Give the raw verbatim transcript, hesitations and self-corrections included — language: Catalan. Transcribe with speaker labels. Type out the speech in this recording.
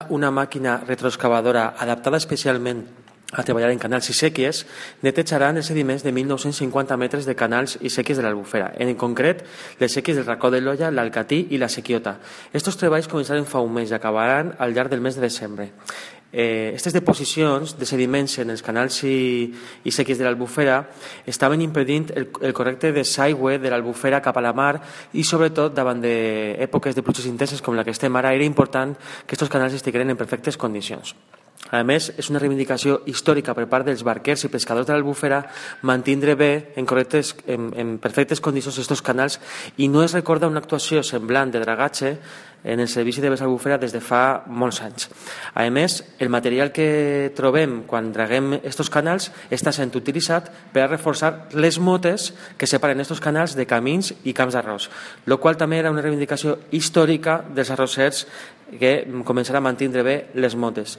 Speaker 1: una màquina retroexcavadora adaptada especialment a treballar en canals i sèquies, netejaran els sediments de mil nou-cents cinquanta metres de canals i sèquies de l'Albufera, en concret les sèquies del Racó de l'Olla, l'Alcatí i la Sequiota. Estos treballs començaran fa un mes i acabaran al llarg del mes de desembre. Eh, aquestes deposicions de sediments en els canals i, i sèquies de l'Albufera estaven impedint el, el correcte desaigüe de l'Albufera cap a la mar i sobretot davant d'èpoques de pluges intenses com la que estem ara era important que aquests canals estigueren en perfectes condicions. A més, és una reivindicació històrica per part dels barquers i pescadors de l'Albufera mantindre bé en, correctes, en, en perfectes condicions aquests canals i no es recorda una actuació semblant de dragatge en el servici de l'Albufera des de fa molts anys. A més, el material que trobem quan draguem aquests canals està sent utilitzat per a reforçar les motes que separen aquests canals de camins i camps d'arròs, el qual també era una reivindicació històrica dels arrossers que començaran a mantindre bé les motes.